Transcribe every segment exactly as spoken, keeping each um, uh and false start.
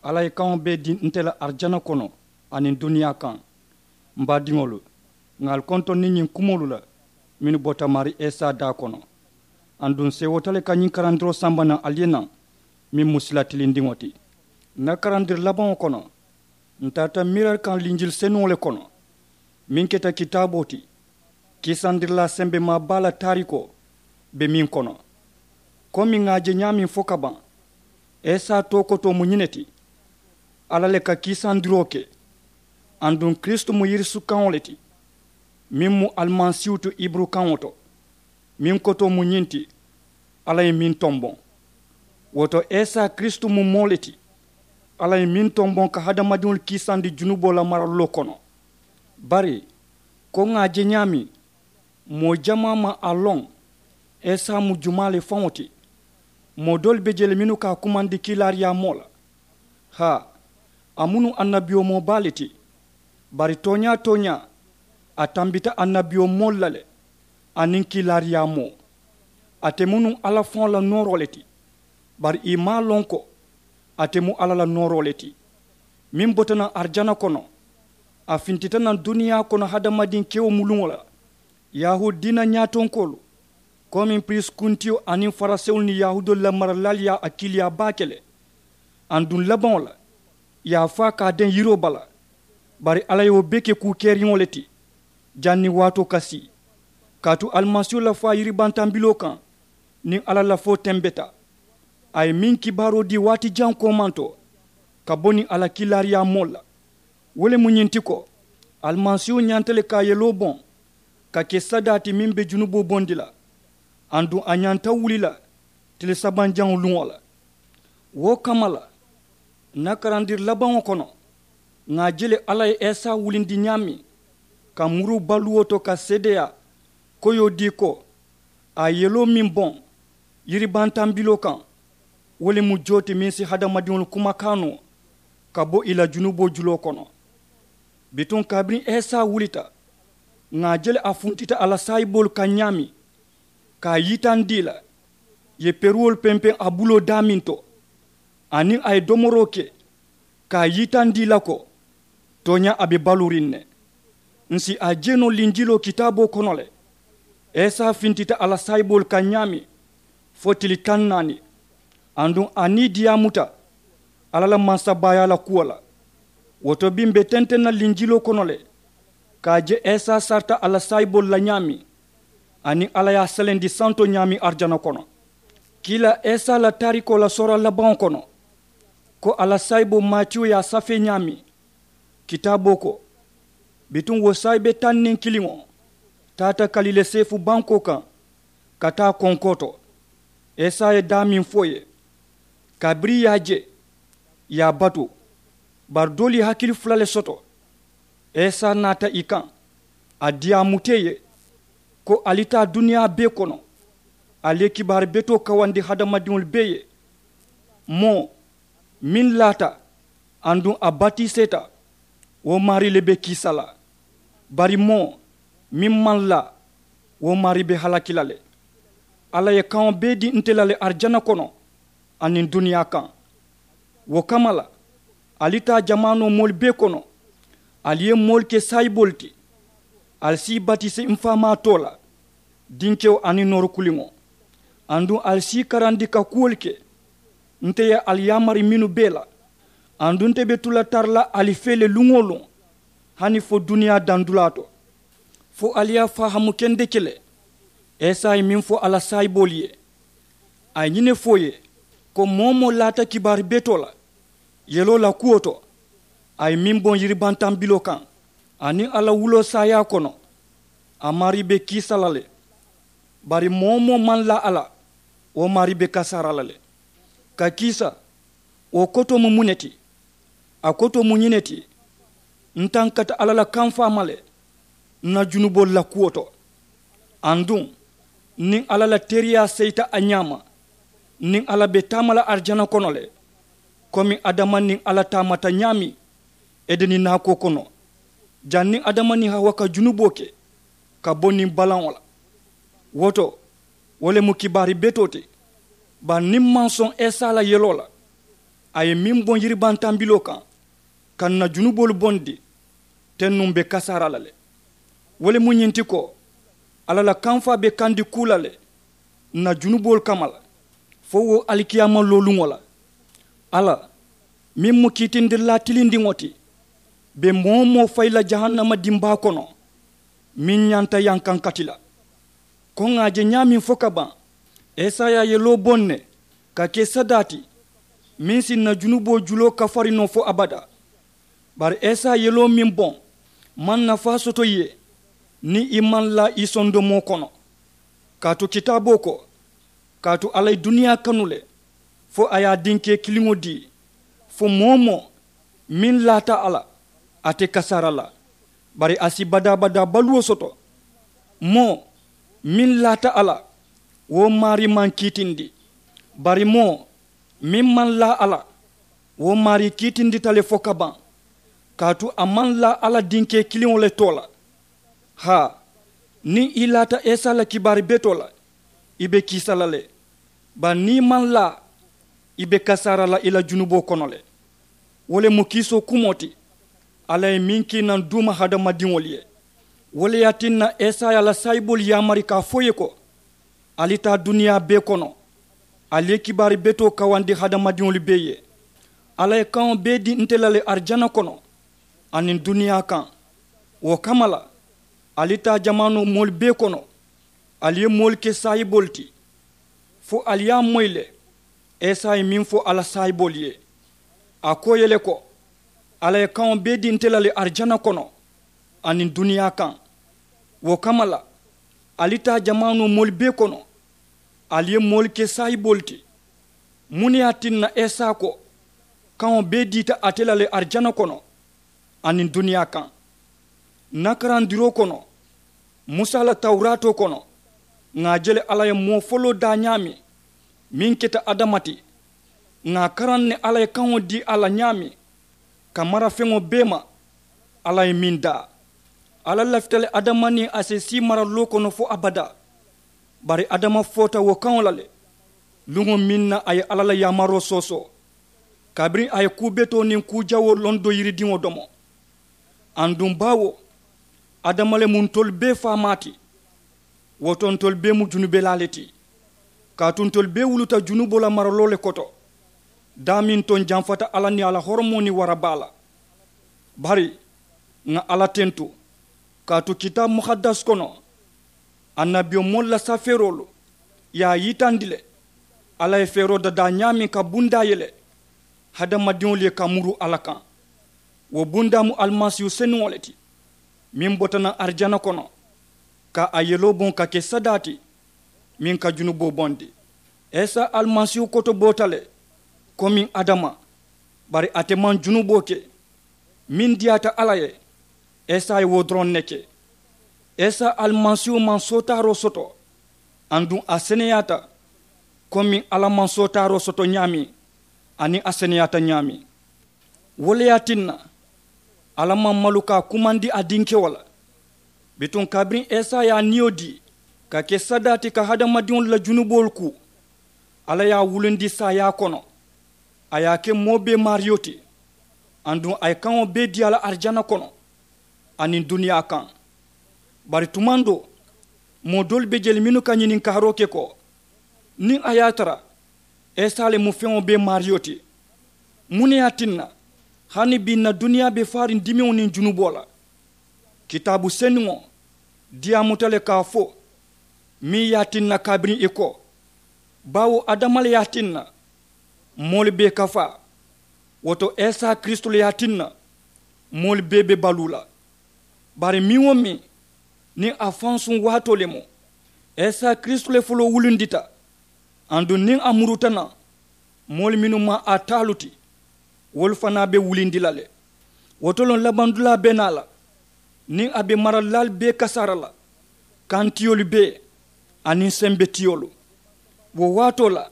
Alla ye kaŋo bee dii nte la arijana kono aniŋ duniyaa kaŋ. M baadiŋolu, ŋà ali kontondi ñiŋ kumoolu la mennu bota maarii isa daa kono. Aduŋ seewoota le ka ñiŋ karandiroo samba naŋ ali ye naŋ, meŋ mu sila tilindiŋo ti. N na karandiri labaŋo kono, ǹ tarata miira kaŋ linjili senuŋo le kono, meŋ keta kitaaboo ti. Kiisandirilaa sembemaa baa la taarikoo be meŋ kono, komi ŋà a je ñaameŋ fo ka baŋ, isa tookotoo mu ñiŋ ne ti. Alla le ka kiisandiroo ke. Aduŋ kiristu mu yirisukaŋo le ti, meŋ mu alimasiihu ti, hiburukaŋo to, meŋ kotoo mu ñiŋ ti, alla ye meŋ tomboŋ. Wo to, isa kiristu mu moo le ti, alla ye meŋ tomboŋ ka hadamadiŋolu kiisandi junuboo la maraluloo kono. Bari, ko ŋà a je ñaameŋ, moo jamaa maŋ a loŋ isa mu jumaa le faŋo ti. Moo doolu be jee le mennu ka a kumandi kiilaariyaamoo la. Haa, a mu nuŋ annabiyomoo baa le ti. Bari tooñaa-tooñaa, a tambita annabiyomoolu la le, aniŋ kiilaariyaamoo. Ate mu nuŋ alla faŋo la nooroo le ti. Bari ì maŋ a loŋ ko ate mu alla la nooroo le ti, meŋ bota naŋ arijana kono. A fintita naŋ duniyaa kono hadamadiŋ kewo muluŋo la. Yahuudi diina ñaatonkoolu, komiŋ piriisi kuntiyo aniŋ farisewolu niŋ yahuudoolu la maralaalu ye a kiiliyaa baake le. Aduŋ labaŋo la, ì ye a faa ka a deŋ yiroo bala. Bari alla ye wo bee ke kuu keeriŋo le ti, janniŋ waatoo ka sii, kaatu alimasiihu la faa yiribantambiloo kaŋ, niŋ alla lafoo tembeta. A ye meŋ kibaaroo dii waati jaŋ koomanto, ka bo niŋ a la kiilaariyaamoolu la, wo le mu ñiŋ ti ko, alimasiihu ñanta le ka a yeloo boŋ, ka ke sadaa ti meŋ be junuboo bondi la. Aduŋ a ñanta wuli la tili sabanjaŋo luŋo la. Wo kamma la, ǹ na karandiri labaŋo kono, ŋà a je le alla ye isa wulindi ñaameŋ, ka muru baluwo to ka seedeyaa koyoo dii ko, a ye yeloo meŋ boŋ yiribantambiloo kaŋ, wo le mu joo ti meŋ si hadamadiŋolu kumakaa noo ka bo ì la junuboo juloo kono. Bituŋ kabiriŋ isa wulita, ŋà a je le a funtita a la saayiboolu kaŋ ñaameŋ, ka a yitandi ì la, ì ye peruwolu pempeŋ a buloo daameŋ to, aniŋ a ye domoroo ke, ka a yitandi ì la ko, tooñaa a be baluuriŋ ne. Ǹ si a je noo linjiloo kitaaboo kono le, isa fintita a la saayiboolu kaŋ ñaameŋ, fo tili taŋ naani. Aduŋ a nii diyaamuta alla la mansabaayaa la kuwo la. Wo to bii m̀ be tenteŋ na linjiloo kono le, ka a je isa sarita a la saayiboolu la ñaameŋ, aniŋ alla ye a selendi santo ñaameŋ arijana kono. Kiilaa isa la taarikoo la soora labaŋo kono, ko a la saayiboo matiyu ye a safee ñaameŋ, kitaaboo ko, bituŋ wo saayibe taŋ niŋ kiliŋo taata kalile seefu bankoo kaŋ, ka taa konkoo to. Isa ye daameŋ fo ì ye, kabiriŋ ì ye a je, ì ye a batu. Bari doolu ye hakili fula le soto. Isa naata ì kaŋ, a diyaamuta ì ye, ko ali taa duniyaa bee kono, ali ye kibaari betoo kawandi hadamadiŋolu bee ye. Moo meŋ laata aduŋ a batiseeta, wo maarii le be kiisa la. Bari moo meŋ maŋ laa, wo maarii be halaki la le. Alla ye kaŋo bee dii nte la le arijana kono aniŋ duniyaa kaŋ. Wo kamma la, ali taa jamaanoo moolu bee kono, ali ye moolu ke saayiboolu ti. Ali si ì batisi m faamaa too la, dinkewo aniŋ nooru kuliŋo. Aduŋ ali si ì karandi ka kuwolu ke nte ye ali yaamari mennu bee la. Aduŋ nte be tu la tara la ali fee le luŋ-wo-luŋ, hani fo duniyaa dandulaa to, fo ali ye a fahaamu kendeke le. Isa ye meŋ fo a la saayiboolu ye, a ye ñiŋ ne fo ì ye, ko moo-wo-moo laata kibaari betoo la yeloo la kuwo to, a ye meŋ boŋ yiribantambiloo kaŋ, aniŋ a la wuloo saayaa kono, a maarii be kiisa la le. Bari moo-wo-moo maŋ laa a la, wo maarii be kasaara la le. Ka kiisa, wo kotoo mu muŋ ne ti? A kotoo mu ñiŋ ne ti, n tankata alla la kamfaa ma le n na junuboolu la kuwo to. Aduŋ niŋ alla la teeriyaa seyita a ñaama, niŋ alla be taama la arijana kono le, komi adama niŋ alla taamata ñaameŋ edeni naakoo kono, janniŋ adama niŋ hawa ka junuboo ke ka bo niŋ balaŋo la. Wo to, wo le mu kibaari betoo ti. Bari niŋ m maŋ soŋ isa la yeloo la, A ye meŋ boŋ yiribantambiloo kaŋ ka ǹ na junuboolu bondi, teŋ nuŋ be kasaara la le. Wo le mu ñiŋ ti ko, alla la kamfaa be kandi kuu la le ǹ na junuboolu kamma la, fo wo alikiyaama looluŋo la. Alla meŋ mu kiitindirilaa tilindiŋo ti, be moo-wo-moo fayi la jahannama dimbaa kono meŋ ñanta yankankati la. Ko ŋà a je ñaameŋ fo ka baŋ, esaya ye loo boŋ ne ka ke sadaa ti meŋ si ǹ na junuboo juloo kafari noo fo abadaa. Bari esaya ye loo meŋ boŋ maŋ nafaa soto ì ye niŋ ì maŋ laa ì sondomoo kono. Kaatu kitaaboo ko, kaatu alla ye duniyaa kanu le fo a ye a dinkee kiliŋo dii, fo moo-wo-moo meŋ laata a la, ate kasaara la, bari a si badaa-badaa baluwo soto. Moo meŋ laata a la, wo maarii maŋ kiitindi. Bari moo meŋ maŋ laa a la, wo maarii kiitindita le fo ka baŋ. Kaatu a maŋ laa alla dinkee kiliŋo le too la. Haa, niŋ i laata isa la kibaari betoo la, i be kiisa la le. Bari niŋ i maŋ laa, i be kasaara la i la junuboo kono le. Wo le mu kiisoo kumoo ti alla ye meŋ kii naŋ duuma hadamadiŋolu ye. Wo le ye a tinna esaya la saayiboolu yaamari ka a fo ì ye ko, ali taa duniyaa bee kono, ali ye kibaari betoo kawandi hadamadiŋolu bee ye. Alla ye kaŋo bee dii nte la le arijana kono aniŋ duniyaa kaŋ. Wo kamma la, ali taa jamaanoo moolu bee kono, ali ye moolu ke saayiboolu ti, fo ali ye a moyi le. Isa ye meŋ fo a la saayiboolu ye, a ko ì ye le ko, alla ye kaŋo bee dii nte la le arijana kono aniŋ duniyaa kaŋ. Wo kamma la, ali taa jamaanoo moolu bee kono, ali ye moolu ke saayiboolu ti. Muŋ ne ye a tinna isa ko, kaŋo bee diita ate la le arijana kono aniŋ duniyaa kaŋ? Ǹ na karandiroo kono, musa la tawuraatoo kono, ŋà a je le alla ye moo foloo daa ñaameŋ meŋ keta adama ti. Ŋà a karaŋ ne alla ye kaŋo dii a la ñaameŋ ka mara feŋo bee ma. Alla ye meŋ daa, alla lafita le adama niŋ a si sii maraloo kono fo abadaa. Bari adama foota wo kaŋo la le luŋo meŋ na a ye alla la yaamaroo soosoo, kabiriŋ a ye kuu betoo niŋ kuu jawoo loŋ do yiridiŋo domo. Aduŋ baawo adama le mu ntolu bee faamaa ti. Wo to ntolu bee mu junubelaa le ti, kaatu ntolu bee wuluta junuboo la maraloo le koto. Daameŋ to ǹ janfata alla niŋ a la horomoo niŋ warabaa la. Bari ŋà alla tentu, kaatu kitaabu muhaddas kono, annabiyomoolu la safeeroolu ye a yitandi le. Alla ye feeroo dadaa ñaameŋ ka bundaa ye le hadamadiŋolu ye ka muru alla kaŋ. Wo bundaa mu alimasiihu senuŋo le ti, meŋ bota naŋ arijana kono ka a yeloo boŋ ka ke sadaa ti meŋ ka junuboo bondi. Isa alimasiihu koto boota le komiŋ adama, bari ate maŋ junuboo ke. Meŋ diyaata alla ye, isa ye wo doroŋ ne ke. Isa alimasiihu maŋ sootaaroo soto, aduŋ a seneyaata komiŋ alla maŋ sootaaroo soto ñaameŋ, aniŋ a seneyaata ñaameŋ. Wo le ye a tinna alla maŋ malu ka a kumandi a dinkewo la. Bituŋ kabiriŋ isa ye a niyo dii ka ke sadaa ti ka hadamadiŋolu la junuboolu kuu, alla ye a wulundi saayaa kono. A ye a ke moo bee maariyo ti, aduŋ a ye kaŋo bee dii a la arijana kono aniŋ duniyaa kaŋ. Bari tumaŋ doo, moo doolu be je le mennu ka ñininkaaroo ke ko, niŋ a ye a tara isa le mu feŋo bee maariyo ti, muŋ ne ye a tinna hani bii ǹ na duniyaa be faariŋ dimiŋo niŋ junuboo la? Kitaabu senuŋo diyaamuta le ka a fo meŋ ye a tinna kabiriŋ ì ko, baawo adama le ye a tinna moolu bee kafaa. Wo to isa kiristu le ye a tinna moolu bee be baluu la. Bari meŋ-wo-meŋ niŋ a faŋ suŋ waatoo le mu, isa kiristu le foloo wulundita. Aduŋ niŋ a muruta naŋ, moolu mennu maŋ a taalu ti, wolu fanaa be wulindi la le. Wo to loŋ labandulaa be naa la niŋ a be maralilaalu bee kasaara la, kantiyolu bee aniŋ sembetiyolu. Wo waatoo la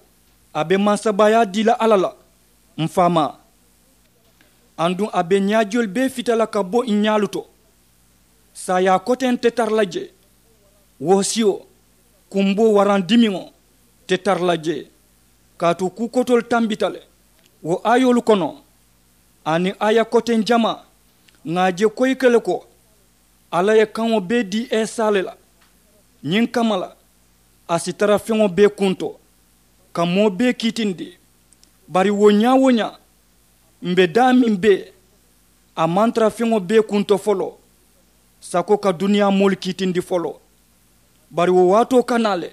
a be mansabaayaa dii la alla la, m faamaa. Aduŋ a be ñaajiyolu bee fita la ka bo ì ñaalu to. Saayaa koteŋ te tara la jee, woosiyo, kumboo waraŋ dimiŋo te tara la jee. Kaatu kuu kotoolu tambita le. Wo aayoolu kono aniŋ aaya koteŋ jamaa ŋà a je koyike le ko alla ye kaŋo bee dii esa le la. Ñiŋ kamma la a si tara feŋo bee kuŋ to ka moo bee kiitindi. Bari wo ñaa-wo-ñaa m̀ be daameŋ bee a maŋ tara feŋo bee kuŋ to foloo sako ka duniyaa moolu kiitindi foloo. Bari wo waatoo ka naa le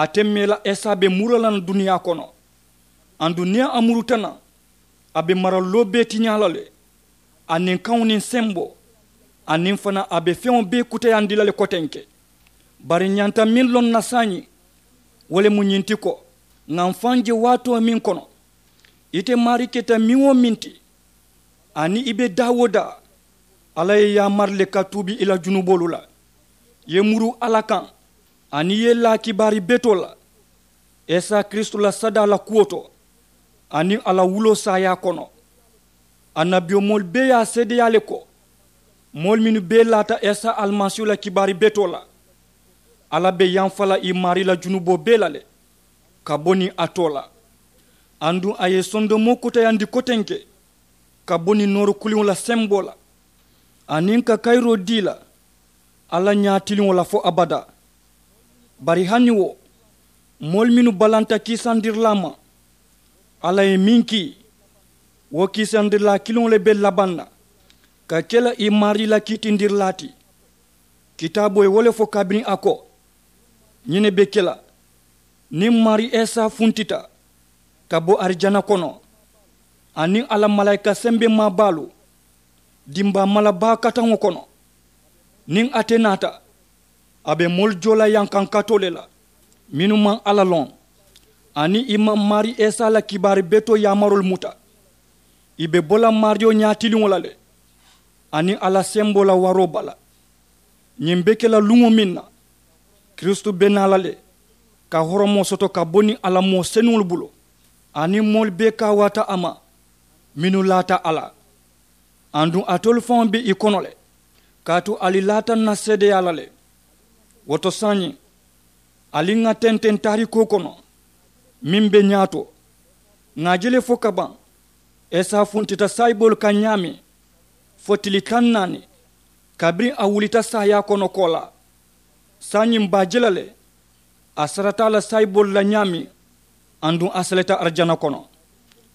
ate mee la esa be muru la naŋ duniyaa kono. Aduŋ niŋ a muruta naŋ a be maraluloo bee tiñaa la le. Aniŋ kaŋo niŋ semboo aniŋ fanaa a be feŋo bee kuteyandi la le kotenke. Bari ñanta meŋ loŋ na saayiŋ wo le mu ñiŋ ti ko ŋà m̀ faŋ je waatoo meŋ kono ite maarii keta meŋ-wo-meŋ ti aniŋ i be daa-wo-daa alla ye i yaamari le ka tuubi i la junuboolu la. I ye muru alla kaŋ aniŋ i ye i laa kibaari betoo la esa kiristu la sadaa la kuwo to aniŋ a la wuloo saayaa kono. Annabiyomoolu bee ye a seedeyaa le ko moolu mennu bee laata esa alimasiihu la kibaari betoo la alla be yamfa la i maarii la junuboo bee la le ka bo niŋ a too la. Aduŋ a ye sondomoo kuteyandi kotenke ka bo niŋ nooru kuliŋo la semboo la aniŋ ka kayiroo dii la alla ñaatiliŋo la fo abadaa. Bari hani wo moolu mennu balanta kiisandirilaa ma alla ye meŋ kii wo kiisandirilaa kiliŋo le be labaŋ na ka ke la i maarii la kiitindirilaa ti. Kitaaboo ye wo le fo kabiriŋ a ko ñiŋ ne be ke la niŋ maarii esa funtita ka bo arijana kono aniŋ a la malaayika sembemaa baalu dimbaa mala baa kataŋo kono. Niŋ ate naata a be moolu joo la yankankatoo le la mennu maŋ alla loŋ aniŋ i maŋ maarii esa la kibaari betoo yaamaroolu muta. I be bo la maariyo ñaatiliŋo la le aniŋ a la semboo la waroo bala. Ñiŋ be ke la luŋo meŋ na kiristu be naa la le ka horomoo soto ka bo niŋ a la moo senuŋolu bulu aniŋ moolu bee kaawaata a ma mennu laata a la. Aduŋ alitolu faŋo be i kono le kaatu ali laata ǹ na seedeyaa la le. Wo to saayiŋ ali ŋà tenteŋ taarikoo kono meŋ be ñaato ŋà a je le fo ka baŋ esa funtita saayiboolu kaŋ ñaameŋ fo tili taŋ naani kabiriŋ a wulita saayaa kono koolaa. Saayiŋ m̀ be a je la le a sarata a la saayiboolu la ñaameŋ aduŋ a seleta arijana kono.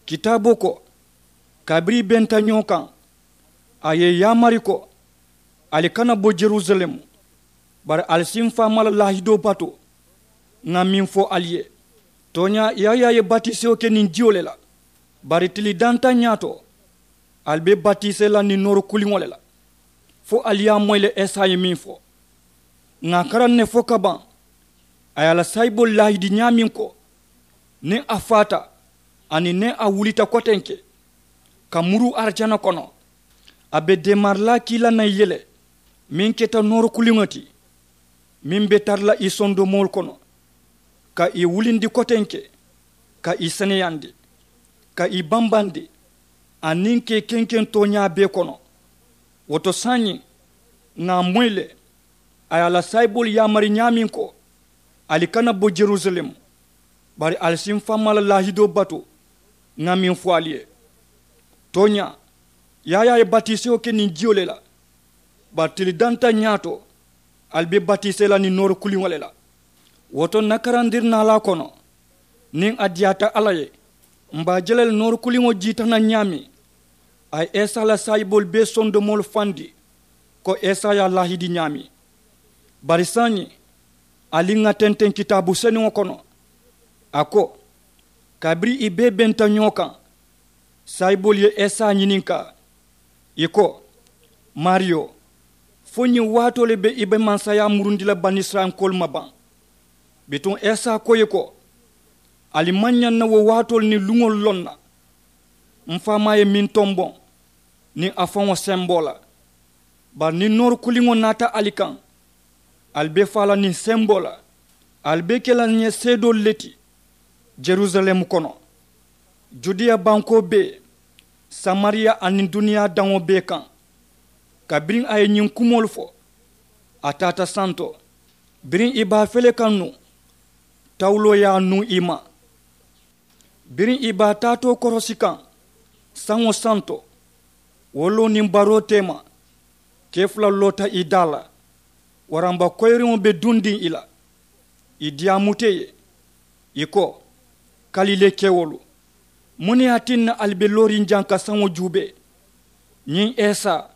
Kitaaboo ko kabiriŋ i benta ñoo kaŋ a ye i yaamari ko ali kana bo jerusalemu bari ali si m̀ faamaa la laahidoo batu. Ŋà meŋ fo ali ye tooñaa yaayaa ye batisewo ke niŋ jiyo le la. Bari tili dantaŋ ñaato ali be batisee la niŋ nooru kuliŋo le la. Fo ali ye a moyi le esa ye meŋ fo ŋà a karaŋ ne fo ka baŋ a ye a la saayiboolu laahidi ñaameŋ ko niŋ a faata aniŋ niŋ a wulita kotenke ka muruu arijana kono a be deemarilaa kii la naŋ i ye le meŋ keta nooru kuliŋo ti meŋ be tara la i sondomoolu kono ka i wulindi kotenke ka i seneyandi ka i bambandi aniŋ ka i kenkeŋ tooñaa bee kono. Wo to saayiŋ ŋà a moyi le a ye a la saayiboolu yaamari ñaameŋ ko ali kana bo jerusalemu bari ali si m̀ faamaa la laahidoo batu. Ŋà meŋ fo ali ye tooñaa yaayaa ye batisewo ke niŋ jiyo le la bari tili dantaŋ ñaato ali be batisee la niŋ nooru kuliŋo le la. Wo to ǹ na karandirinaalaa kono niŋ a diyaata alla ye m̀ be a je la le nooru kuliŋo jiita naŋ ñaameŋ a ye esa la saayiboolu bee sondomoolu fandi ko esa ye a laahidi ñaameŋ. Bari saayiŋ ali ŋà tenteŋ kitaabu senuŋo kono a ko kabiriŋ i bee benta ñoo kaŋ saayiboolu ye esa ñininkaa ì ko maariyo fo ñiŋ waatoo le be i be mansayaa murundi la banisirayilankoolu ma baŋ? Bituŋ esa ko ì ye ko ali maŋ ñaŋ na wo waatoolu niŋ luŋolu loŋ na. M̀ faamaa ye meŋ tomboŋ niŋ a faŋo semboo la bari niŋ nooru kuliŋo naata ali kaŋ ali be faa la niŋ semboo la ali be ke la ǹ ye seedoolu le ti jerusalemu kono judeya bankoo bee samariya aniŋ duniyaa daŋo bee kaŋ. Kabiriŋ a ye ñiŋ kumoolu fo a taata santo biriŋ i be a fele kaŋ nuŋ tawuloo ye a nuŋ i ma. Biriŋ ì be a taatoo korosi kaŋ saŋo santo, wo loo niŋ baroo teema, kee fula loota ì daa la. Waramba koyiriŋo be dundiŋ ì la, ì diyaamuta ì ye. Ì ko, kalilee kewolu, muŋ ne ye a tinna ali be looriŋ jaŋ ka saŋo juubee? Ñiŋ esa,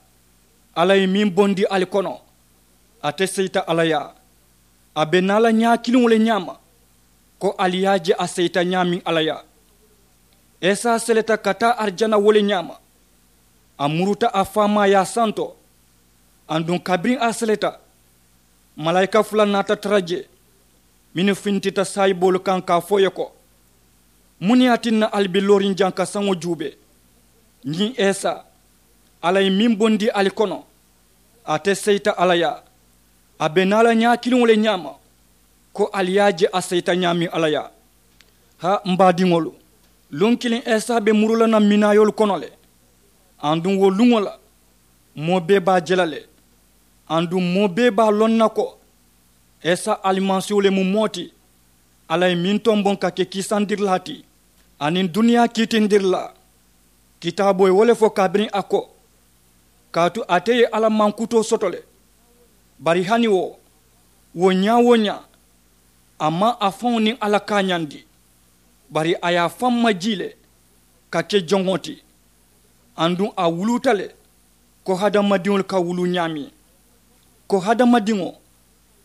alla ye meŋ bondi ali kono, ate seyita alla yaa. A be naa la ñaa kiliŋo le ñaama, ko ali ye a je a seyita ñaameŋ alla yaa. Esa seleta ka taa arijana wo le ñaama. A muruta a faamaa ye a santo. Aduŋ kabiriŋ a seleta, malaayika fula naata tara jee, mennu fintita saayiboolu kaŋ ka a fo ì ye ko, muŋ ne ye a tinna ali be looriŋ jaŋ ka saŋo juubee? Ñiŋ esa, alla ye meŋ bondi ali kono, ate seyita alla yaa. A be naa la ñaa kiliŋo le ñaama, ko ali ye a je a seyita ñaameŋ alla yaa. Haa m baadiŋolu, luŋ kiliŋ esa be muru la naŋ minaayoolu kono le. Aduŋ wo luŋo la, moo bee be a je la le. Aduŋ moo bee be a loŋ na ko, esa alimasiiwo le mu moo ti, alla ye meŋ tomboŋ ka ke kiisandirilaa ti, aniŋ duniyaa kiitindirilaa. Kitaaboo ye wo le fo kabiriŋ a ko, kaatu ate ye alla mankutoo soto le. Bari hani wo, wo ñaa-wo-ñaa, a maŋ a faŋo niŋ alla kaañandi, bari a ye a faŋ majii le ka ke joŋo ti. Aduŋ a wuluuta le ko hadamadiŋolu ka wuluu ñaameŋ. Ko hadamadiŋo,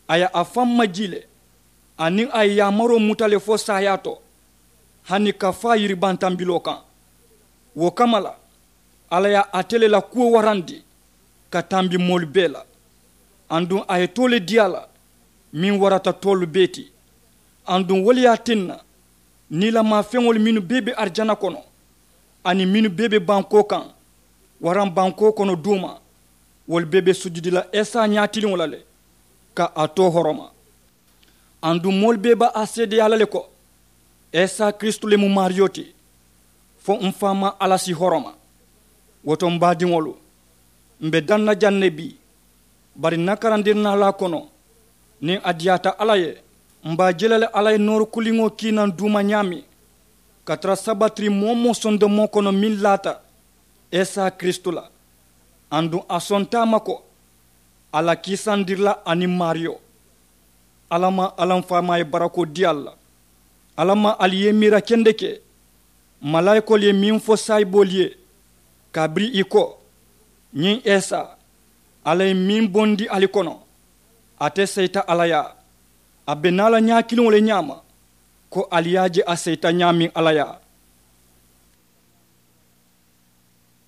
a ye a faŋ majii le, aniŋ a ye yaamaroo muta le fo saayaa to, hani ka faa yiribantambiloo kaŋ. Wo kamma la, alla ye ate le la kuwo warandi ka tambi moolu bee la. Aduŋ a ye too le dii a la, meŋ warata toolu bee ti. Aduŋ wo le ye a tinna, niilamaa feŋolu mennu bee be arijana kono, aniŋ mennu bee be bankoo kaŋ, waraŋ bankoo kono duuma, wolu bee be sujudi la esa ñaatiliŋo la le, ka a too horoma. Aduŋ moolu bee be a seedeyaa la le ko, esa kiristu le mu maariyo ti, fo m faamaa alla si horoma. Wo to m baadiŋolu, m be daŋ na jaŋ ne bii. Bari n na karandirinaalaa kono, niŋ a diyaata alla ye, m be a je la le alla ye nooru kuliŋo kii naŋ duuma ñaameŋ, ka tara sabatiri moo-wo-moo sondomoo kono meŋ laata esa kiristu la. Aduŋ a sonta a ma ko, a la kiisandirilaa aniŋ maariyo. Alla maŋ alla m faamaa ye barakoo dii ali la. Alla maŋ ali ye miira kendeke, malaayikoolu ye meŋ fo saayiboolu ye, kabiriŋ ì ko, ñiŋ esa, alla ye meŋ bondi ali kono, ate seyita alla yaa. A be naa la ñaa kiliŋo le ñaama, ko ali ye a je a seyita ñaameŋ alla yaa.